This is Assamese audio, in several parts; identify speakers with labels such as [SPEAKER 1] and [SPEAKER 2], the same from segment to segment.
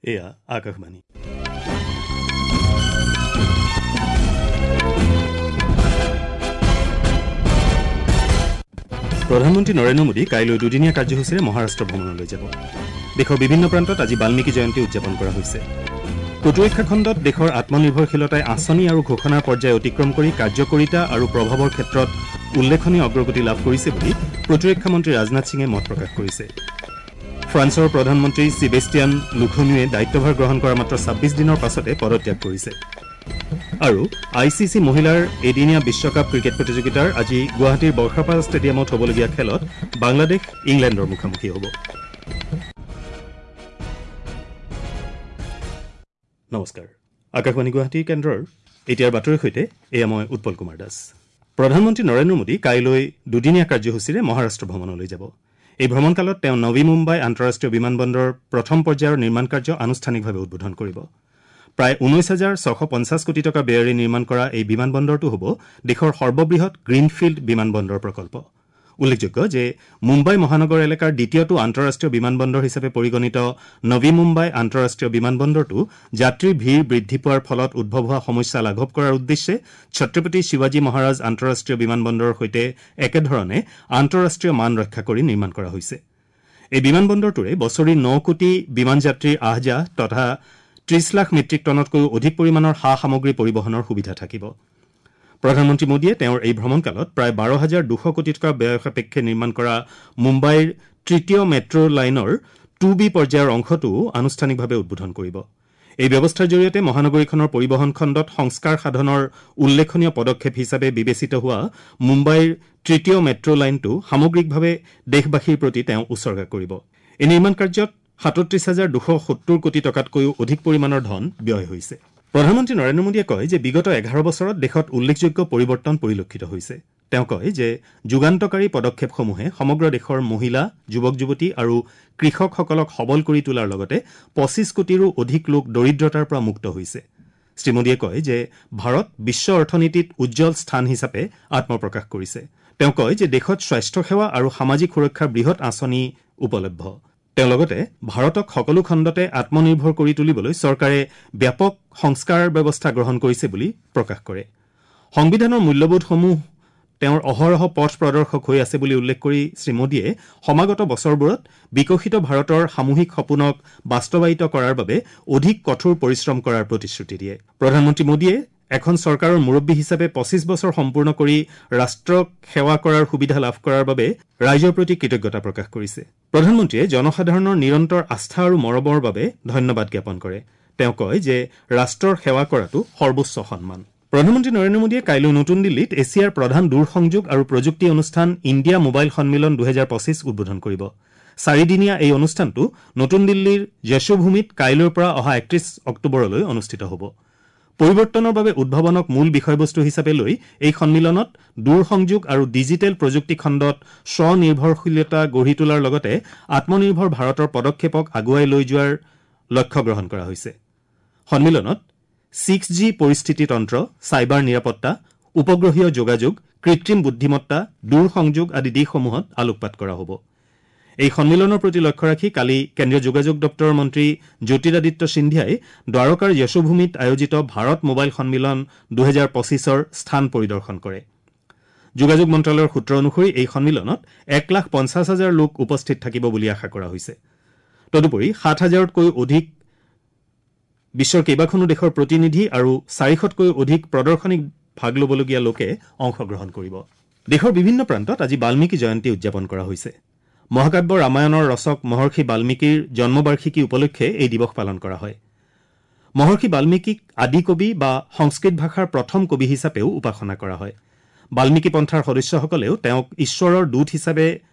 [SPEAKER 1] এয়া আকাশবাণী। প্ৰধানমন্ত্ৰী নৰেন্দ্ৰ মোদী কাইলৈ দুদিনীয়া কাৰ্যসূচীৰে মহাৰাষ্ট্ৰ ভ্ৰমণলৈ যাব। দেশৰ বিভিন্ন প্ৰান্তত আজি বাল্মীকি জয়ন্তী উদযাপন কৰা হৈছে। প্ৰতিৰক্ষা খণ্ডত দেশৰ আত্মনিৰ্ভৰশীলতাই আঁচনি আৰু ঘোষণাৰ পৰ্যায় অতিক্ৰম কৰি কাৰ্যকৰিতা আৰু প্ৰভাৱৰ ক্ষেত্ৰত উল্লেখনীয় অগ্ৰগতি লাভ কৰিছে বুলি প্ৰতিৰক্ষা মন্ত্ৰী ৰাজনাথ সিঙে মত প্ৰকাশ কৰিছে। ফ্ৰান্সৰ প্ৰধানমন্ত্ৰী ছিবেষ্টিয়ান লুখনুৱে দায়িত্বভাৰ গ্ৰহণ কৰাৰ মাত্ৰ 26 দিনৰ পাছতে পদত্যাগ কৰিছে। আৰু I C C মহিলাৰ এদিনীয়া বিশ্বকাপ ক্ৰিকেট প্ৰতিযোগিতাৰ আজি গুৱাহাটীৰ বৰ্ষাপাৰা ষ্টেডিয়ামত হ'বলগীয়া খেলত বাংলাদেশ ইংলেণ্ডৰ মুখামুখি হ'ব। নমস্কাৰ, আকাশবাণী গুৱাহাটী কেন্দ্ৰৰ এতিয়াৰ বাতৰিৰ সৈতে এয়া মই উৎপল কুমাৰ দাস। প্ৰধানমন্ত্ৰী নৰেন্দ্ৰ মোদী কাইলৈ দুদিনীয়া কাৰ্যসূচীৰে মহাৰাষ্ট্ৰ ভ্ৰমণলৈ যাব। এই ভ্ৰমণকালত তেওঁ নৱী মুম্বাই আন্তঃৰাষ্ট্ৰীয় বিমানবন্দৰৰ প্ৰথম পৰ্যায়ৰ নিৰ্মাণ কাৰ্য আনুষ্ঠানিকভাৱে উদ্বোধন কৰিব। প্ৰায় 19,650 কোটি টকা ব্যয়েৰে নিৰ্মাণ কৰা এই বিমানবন্দৰটো হ'ব দেশৰ সৰ্ববৃহৎ গ্ৰীণফিল্ড বিমানবন্দৰ প্ৰকল্প। উল্লেখযোগ্য যে মুম্বাই মহানগৰ এলেকাৰ দ্বিতীয়টো আন্তঃৰাষ্ট্ৰীয় বিমানবন্দৰ হিচাপে পৰিগণিত নৱী মুম্বাই আন্তঃৰাষ্ট্ৰীয় বিমানবন্দৰটো যাত্ৰীৰ ভিৰ বৃদ্ধি পোৱাৰ ফলত উদ্ভৱ হোৱা সমস্যা লাঘৱ কৰাৰ উদ্দেশ্যে ছত্ৰপতি শিৱাজী মহাৰাজ আন্তঃৰাষ্ট্ৰীয় বিমানবন্দৰৰ সৈতে একেধৰণে আন্তঃৰাষ্ট্ৰীয় মান ৰক্ষা কৰি নিৰ্মাণ কৰা হৈছে। এই বিমানবন্দৰটোৰে বছৰি 9 কোটি বিমান যাত্ৰীৰ আহ যাহ তথা 30 লাখ মেট্ৰিক টনতকৈও অধিক পৰিমাণৰ সা সামগ্ৰী পৰিবহণৰ সুবিধা থাকিব। প্ৰধানমন্ত্ৰী মোদীয়ে তেওঁৰ এই ভ্ৰমণকালত প্ৰায় 12,200 কোটি টকা ব্যয় সাপেক্ষে নিৰ্মাণ কৰা মুম্বাইৰ তৃতীয় মেট্ৰ' লাইনৰ 2B পৰ্যায়ৰ অংশটোও আনুষ্ঠানিকভাৱে উদ্বোধন কৰিব। এই ব্যৱস্থাৰ জৰিয়তে মহানগৰীখনৰ পৰিবহণ খণ্ডত সংস্কাৰ সাধনৰ উল্লেখনীয় পদক্ষেপ হিচাপে বিবেচিত হোৱা মুম্বাইৰ তৃতীয় মেট্ৰ' লাইনটো সামগ্ৰিকভাৱে দেশবাসীৰ প্ৰতি তেওঁ উছৰ্গা কৰিব। এই নিৰ্মাণ কাৰ্যত 37,270 কোটি টকাতকৈও অধিক পৰিমাণৰ ধন ব্যয় হৈছে। প্ৰধানমন্ত্ৰী নৰেন্দ্ৰ মোদীয়ে কয় যে বিগত 11 বছৰত দেশত উল্লেখযোগ্য পৰিৱৰ্তন পৰিলক্ষিত হৈছে। তেওঁ কয় যে যুগান্তকাৰী পদক্ষেপসমূহে সমগ্ৰ দেশৰ মহিলা, যুৱক যুৱতী আৰু কৃষকসকলক সবল কৰি তোলাৰ লগতে 25 কোটিৰো অধিক লোক দৰিদ্ৰতাৰ পৰা মুক্ত হৈছে। শ্ৰীমোদীয়ে কয় যে ভাৰত বিশ্ব অৰ্থনীতিত উজ্জ্বল স্থান হিচাপে আত্মপ্ৰকাশ কৰিছে। তেওঁ কয় যে দেশত স্বাস্থ্যসেৱা আৰু সামাজিক সুৰক্ষাৰ বৃহৎ আঁচনি উপলব্ধ। তেওঁ লগতে ভাৰতক সকলো খণ্ডতে আত্মনিৰ্ভৰ কৰি তুলিবলৈ চৰকাৰে ব্যাপক সংস্কাৰ ব্যৱস্থা গ্ৰহণ কৰিছে বুলি প্ৰকাশ কৰে। সংবিধানৰ মূল্যবোধসমূহ তেওঁৰ অহৰহ পথ প্ৰদৰ্শক হৈ আছে বুলি উল্লেখ কৰি শ্ৰীমোদীয়ে সমাগত বছৰবোৰত বিকশিত ভাৰতৰ সামূহিক সপোনক বাস্তৱায়িত কৰাৰ বাবে অধিক কঠোৰ পৰিশ্ৰম কৰাৰ প্ৰতিশ্ৰুতি দিয়ে। প্ৰধানমন্ত্ৰী মোদীয়ে এখন চৰকাৰৰ মুৰব্বী হিচাপে 25 বছৰ সম্পূৰ্ণ কৰি ৰাষ্ট্ৰক সেৱা কৰাৰ সুবিধা লাভ কৰাৰ বাবে ৰাইজৰ প্ৰতি কৃতজ্ঞতা প্ৰকাশ কৰিছে। প্ৰধানমন্ত্ৰীয়ে জনসাধাৰণৰ নিৰন্তৰ আস্থা আৰু মৰমৰ বাবে ধন্যবাদ জ্ঞাপন কৰে। তেওঁ কয় যে ৰাষ্ট্ৰৰ সেৱা কৰাটো সৰ্বোচ্চ সন্মান। প্ৰধানমন্ত্ৰী নৰেন্দ্ৰ মোদীয়ে কাইলৈ নতুন দিল্লীত এছিয়াৰ প্ৰধান দূৰসংযোগ আৰু প্ৰযুক্তি অনুষ্ঠান ইণ্ডিয়া মোবাইল সন্মিলন 2025 উদ্বোধন কৰিব। চাৰিদিনীয়া এই অনুষ্ঠানটো নতুন দিল্লীৰ যশোভূমিত কাইলৈৰ পৰা অহা 31 অক্টোবৰলৈ অনুষ্ঠিত হ'ব। পৰিৱৰ্তনৰ বাবে উদ্ভাৱনক মূল বিষয়বস্তু হিচাপে লৈ এই সন্মিলনত দূৰসংযোগ আৰু ডিজিটেল প্ৰযুক্তি খণ্ডত স্বনিৰ্ভৰশীলতা গঢ়ি তোলাৰ লগতে আত্মনিৰ্ভৰ ভাৰতৰ পদক্ষেপক আগুৱাই লৈ যোৱাৰ লক্ষ্য গ্ৰহণ কৰা হৈছে। সন্মিলনত 6G পৰিস্থিতিতন্ত্ৰ, চাইবাৰ নিৰাপত্তা, উপগ্ৰহীয় যোগাযোগ, কৃত্ৰিম বুদ্ধিমত্তা, দূৰসংযোগ আদি দিশসমূহত আলোকপাত কৰা হ'ব। এই সন্মিলনৰ প্ৰতি লক্ষ্য ৰাখি কালি কেন্দ্ৰীয় যোগাযোগ দপ্তৰৰ মন্ত্ৰী জ্যোতিৰাদিত্য সিন্ধিয়াই দ্বাৰকাৰ যশোভূমিত আয়োজিত ভাৰত মোবাইল সন্মিলন 2025ৰ স্থান পৰিদৰ্শন কৰে। যোগাযোগ মন্ত্ৰালয়ৰ সূত্ৰ অনুসৰি এই সন্মিলনত 1,50,000 লোক উপস্থিত থাকিব বুলি আশা কৰা হৈছে। তদুপৰি 7,000তকৈও অধিক বিশ্বৰ কেইবাখনো দেশৰ প্ৰতিনিধি আৰু 400তকৈও অধিক প্ৰদৰ্শনীত ভাগ ল'বলগীয়া লোকে অংশগ্ৰহণ কৰিব। দেশৰ বিভিন্ন প্ৰান্তত আজি বাল্মীকি জয়ন্তী উদযাপন কৰা হৈছে। মহাকাব্য ৰামায়ণৰ ৰচক মহৰ্ষি বাল্মীকিৰ জন্মবাৰ্ষিকী উপলক্ষে এই দিৱস পালন কৰা হয়। মহৰ্ষি বাল্মীকিক আদি কবি বা সংস্কৃত ভাষাৰ প্ৰথম কবি হিচাপেও উপাসনা কৰা হয়। বাল্মীকি পন্থাৰ সদস্যসকলেও তেওঁক ঈশ্বৰৰ দূত হিচাপে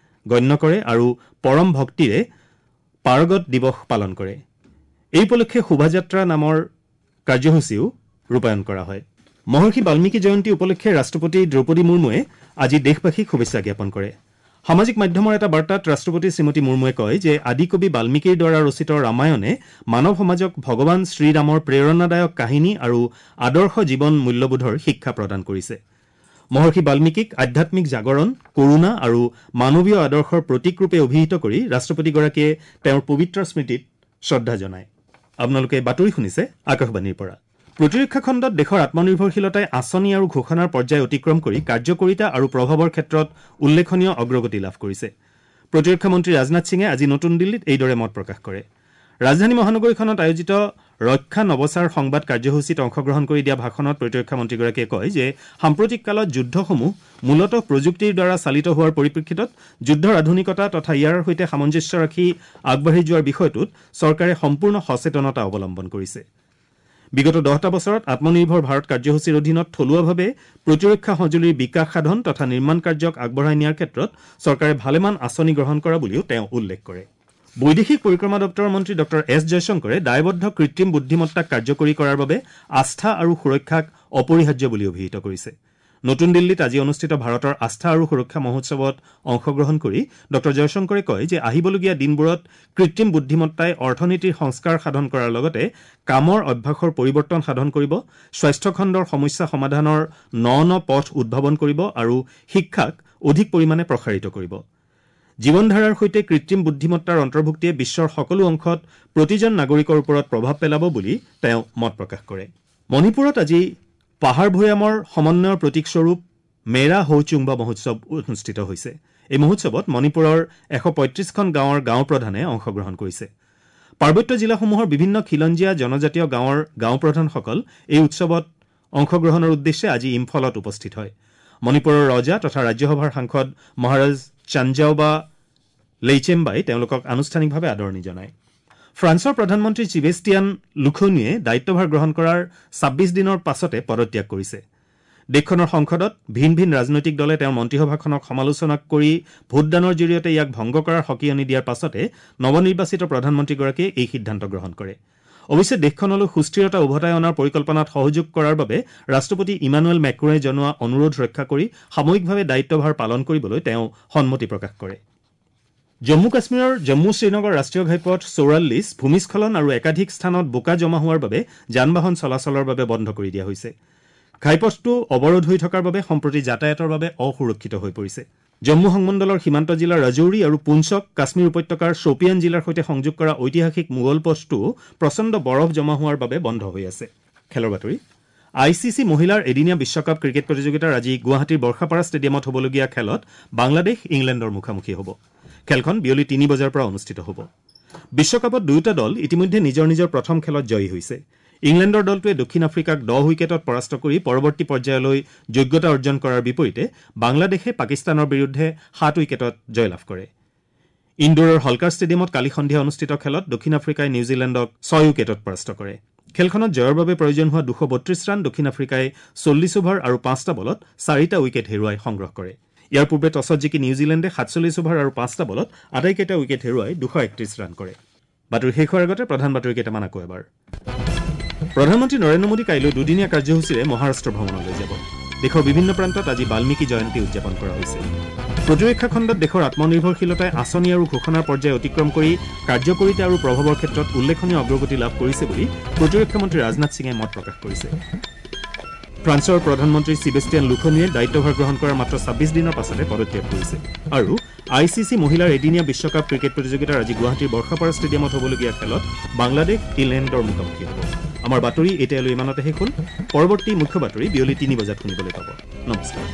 [SPEAKER 1] গণ্য কৰে আৰু পৰম ভক্তিৰে পাৰগত দিৱস পালন কৰে। এই উপলক্ষে শোভাযাত্ৰা নামৰ কাৰ্যসূচীও ৰূপায়ণ কৰা হয়। মহৰ্ষি বাল্মীকি জয়ন্তী উপলক্ষে ৰাষ্ট্ৰপতি দ্ৰৌপদী মুৰ্মুৱে আজি দেশবাসীক শুভেচ্ছা জ্ঞাপন কৰে। সামাজিক মাধ্যমৰ এটা বাৰ্তাত ৰাষ্ট্ৰপতি শ্ৰীমতী মুৰ্মুৱে কয় যে আদিকবি বাল্মীকিৰ দ্বাৰা ৰচিত ৰামায়ণে মানৱ সমাজক ভগৱান শ্ৰীৰামৰ প্ৰেৰণাদায়ক কাহিনী আৰু আদৰ্শ জীৱন মূল্যবোধৰ শিক্ষা প্ৰদান কৰিছে। মহৰ্ষি বাল্মীকিক আধ্যাত্মিক জাগৰণ, কৰুণা আৰু মানৱীয় আদৰ্শৰ প্ৰতীকৰূপে অভিহিত কৰি ৰাষ্ট্ৰপতিগৰাকীয়ে তেওঁৰ পবিত্ৰ স্মৃতিত শ্ৰদ্ধা জনায়। আপোনালোকে বাতৰি শুনিছে আকাশবাণীৰ পৰা। প্ৰতিৰক্ষা খণ্ডত দেশৰ আত্মনিৰ্ভৰশীলতাই আঁচনি আৰু ঘোষণাৰ পৰ্যায় অতিক্ৰম কৰি কাৰ্যকৰিতা আৰু প্ৰভাৱৰ ক্ষেত্ৰত উল্লেখনীয় অগ্ৰগতি লাভ কৰিছে। প্ৰতিৰক্ষা মন্ত্ৰী ৰাজনাথ সিঙে আজি নতুন দিল্লীত এইদৰে মত প্ৰকাশ কৰে। ৰাজধানী মহানগৰীখনত আয়োজিত ৰক্ষা নৱচাৰ সংবাদ কাৰ্যসূচীত অংশগ্ৰহণ কৰি দিয়া ভাষণত প্ৰতিৰক্ষা মন্ত্ৰীগৰাকীয়ে কয় যে সাম্প্ৰতিক কালত যুদ্ধসমূহ মূলতঃ প্ৰযুক্তিৰ দ্বাৰা চালিত হোৱাৰ পৰিপ্ৰেক্ষিতত যুদ্ধৰ আধুনিকতা তথা ইয়াৰ সৈতে সামঞ্জস্য ৰাখি আগবাঢ়ি যোৱাৰ বিষয়টোত চৰকাৰে সম্পূৰ্ণ সচেতনতা অৱলম্বন কৰিছে। বিগত 10টা বছৰত আত্মনিৰ্ভৰ ভাৰত কাৰ্যসূচীৰ অধীনত থলুৱাভাৱে প্ৰতিৰক্ষা সঁজুলিৰ বিকাশ সাধন তথা নিৰ্মাণ কাৰ্যক আগবঢ়াই নিয়াৰ ক্ষেত্ৰত চৰকাৰে ভালেমান আঁচনি গ্ৰহণ কৰা বুলিও তেওঁ উল্লেখ কৰে। বৈদেশিক পৰিক্ৰমা দপ্তৰৰ মন্ত্ৰী ডঃ এছ জয়শংকৰে দায়বদ্ধ কৃত্ৰিম বুদ্ধিমত্তাক কাৰ্যকৰী কৰাৰ বাবে আস্থা আৰু সুৰক্ষাক অপৰিহাৰ্য বুলি অভিহিত কৰিছে। নতুন দিল্লীত আজি অনুষ্ঠিত ভাৰতৰ আস্থা আৰু সুৰক্ষা মহোৎসৱত অংশগ্ৰহণ কৰি ডঃ জয়শংকৰে কয় যে আহিবলগীয়া দিনবোৰত কৃত্ৰিম বুদ্ধিমত্তাই অৰ্থনীতিৰ সংস্কাৰ সাধন কৰাৰ লগতে কামৰ অভ্যাসৰ পৰিৱৰ্তন সাধন কৰিব, স্বাস্থ্যখণ্ডৰ সমস্যা সমাধানৰ ন ন পথ উদ্ভাৱন কৰিব আৰু শিক্ষাক অধিক পৰিমাণে প্ৰসাৰিত কৰিব। জীৱনধাৰাৰ সৈতে কৃত্ৰিম বুদ্ধিমত্তাৰ অন্তৰ্ভুক্তিয়ে বিশ্বৰ সকলো অংশত প্ৰতিজন নাগৰিকৰ ওপৰত প্ৰভাৱ পেলাব বুলি তেওঁ মত প্ৰকাশ কৰে। মণিপুৰত আজি পাহাৰ ভৈয়ামৰ সমন্বয়ৰ প্ৰতীকস্বৰূপ মেৰা হৌচুংবা মহোৎসৱ অনুষ্ঠিত হৈছে। এই মহোৎসৱত মণিপুৰৰ 135খন গাঁৱৰ গাঁওপ্ৰধানে অংশগ্ৰহণ কৰিছে। পাৰ্বত্য জিলাসমূহৰ বিভিন্ন খিলঞ্জীয়া জনজাতীয় গাঁৱৰ গাঁওপ্ৰধানসকল এই উৎসৱত অংশগ্ৰহণৰ উদ্দেশ্যে আজি ইম্ফলত উপস্থিত হয়। মণিপুৰৰ ৰজা তথা ৰাজ্যসভাৰ সাংসদ মহাৰাজ চাঞ্জাওবা লেইচেম্বাই তেওঁলোকক আনুষ্ঠানিকভাৱে আদৰণি জনায়। ফ্ৰান্সৰ প্ৰধানমন্ত্ৰী চিবেষ্টিয়ান লুখনিয়ে দায়িত্বভাৰ গ্ৰহণ কৰাৰ 26 দিনৰ পাছতে পদত্যাগ কৰিছে। দেশখনৰ সংসদত ভিন ভিন ৰাজনৈতিক দলে তেওঁৰ মন্ত্ৰীসভাখনক সমালোচনা কৰি ভোটদানৰ জৰিয়তে ইয়াক ভংগ কৰাৰ সকিয়নি দিয়াৰ পাছতে নৱনিৰ্বাচিত প্ৰধানমন্ত্ৰীগৰাকীয়ে এই সিদ্ধান্ত গ্ৰহণ কৰে। অৱশ্যে দেশখনলৈ সুস্থিৰতা উভতাই অনাৰ পৰিকল্পনাত সহযোগ কৰাৰ বাবে ৰাষ্ট্ৰপতি ইমানুৱেল মেক্ৰয়ে জনোৱা অনুৰোধ ৰক্ষা কৰি সাময়িকভাৱে দায়িত্বভাৰ পালন কৰিবলৈ তেওঁ সন্মতি প্ৰকাশ কৰে। জম্মু কাশ্মীৰৰ জম্মু শ্ৰীনগৰ ৰাষ্ট্ৰীয় ঘাইপথ 44 ভূমিস্খলন আৰু একাধিক স্থানত বোকা জমা হোৱাৰ বাবে যান বাহন চলাচলৰ বাবে বন্ধ কৰি দিয়া হৈছে। ঘাইপথটো অৱৰোধ হৈ থকাৰ বাবে সম্প্ৰতি যাতায়াতৰ বাবে অসুৰক্ষিত হৈ পৰিছে। জম্মু সংমণ্ডলৰ সীমান্ত জিলাৰ ৰাজৌৰি আৰু পুঞ্চক কাশ্মীৰ উপত্যকাৰ শ্বপিয়ান জিলাৰ সৈতে সংযোগ কৰা ঐতিহাসিক মোগল পথটোও প্ৰচণ্ড বৰফ জমা হোৱাৰ বাবে বন্ধ হৈ আছে। খেলৰ বাতৰি। I C C মহিলাৰ এদিনীয়া বিশ্বকাপ ক্ৰিকেট প্ৰতিযোগিতাৰ আজি গুৱাহাটীৰ বৰ্ষাপাৰা ষ্টেডিয়ামত হ'বলগীয়া খেলত বাংলাদেশ ইংলেণ্ডৰ মুখামুখি হ'ব। খেলখন বিয়লি 3 বজাৰ পৰা অনুষ্ঠিত হ'ব। বিশ্বকাপত দুয়োটা দল ইতিমধ্যে নিজৰ নিজৰ প্ৰথম খেলত জয়ী হৈছে। ইংলেণ্ডৰ দলটোৱে দক্ষিণ আফ্ৰিকাক 10 উইকেটত পৰাস্ত কৰি পৰৱৰ্তী পৰ্যায়লৈ যোগ্যতা অৰ্জন কৰাৰ বিপৰীতে বাংলাদেশে পাকিস্তানৰ বিৰুদ্ধে 7 উইকেটত জয়লাভ কৰে। ইণ্ডোৰৰ হলকাৰ ষ্টেডিয়ামত কালি সন্ধিয়া অনুষ্ঠিত খেলত দক্ষিণ আফ্ৰিকাই নিউজিলেণ্ডক 6 উইকেটত পৰাস্ত কৰে। খেলখনত জয়ৰ বাবে প্ৰয়োজন হোৱা 232 ৰান দক্ষিণ আফ্ৰিকাই 40 অভাৰ আৰু 5টা বলত 4টা উইকেট হেৰুৱাই সংগ্ৰহ কৰে। ইয়াৰ পূৰ্বে টছত জিকি নিউজিলেণ্ডে 47 অভাৰ আৰু 5টা বলত আটাইকেইটা উইকেট হেৰুৱাই 231 ৰান কৰে। বাতৰি শেষ হোৱাৰ আগতে প্ৰধান বাতৰি কেইটামান আকৌ এবাৰ। প্ৰধানমন্ত্ৰী নৰেন্দ্ৰ মোদী কাইলৈ দুদিনীয়া কাৰ্যসূচীৰে মহাৰাষ্ট্ৰ ভ্ৰমণলৈ যাব। দেশৰ বিভিন্ন প্ৰান্তত আজি বাল্মীকি জয়ন্তী উদযাপন কৰা হৈছে। প্ৰতিৰক্ষা খণ্ডত দেশৰ আত্মনিৰ্ভৰশীলতাই আঁচনি আৰু ঘোষণাৰ পৰ্যায় অতিক্ৰম কৰি কাৰ্যকৰিতা আৰু প্ৰভাৱৰ ক্ষেত্ৰত উল্লেখনীয় অগ্ৰগতি লাভ কৰিছে বুলি প্ৰতিৰক্ষা মন্ত্ৰী ৰাজনাথ সিঙে মত প্ৰকাশ কৰিছে। ফ্ৰান্সৰ প্ৰধানমন্ত্ৰী চিবেষ্টিয়ান লুখনিয়ে দায়িত্বভাৰ গ্ৰহণ কৰাৰ মাত্ৰ 26 দিনৰ পাছতে পদত্যাগ কৰিছে। আৰু I C C মহিলাৰ এদিনীয়া বিশ্বকাপ ক্ৰিকেট প্ৰতিযোগিতাৰ আজি গুৱাহাটীৰ বৰ্ষাপাৰা ষ্টেডিয়ামত হ'বলগীয়া খেলত বাংলাদেশ ইংলেণ্ডৰ মুখামুখি হ'ব। আমাৰ বাতৰি এতিয়ালৈ ইমানতে শেষ হ'ল। পৰৱৰ্তী মুখ্য বাতৰি বিয়লি 3 বজাত শুনিবলৈ পাব। নমস্কাৰ।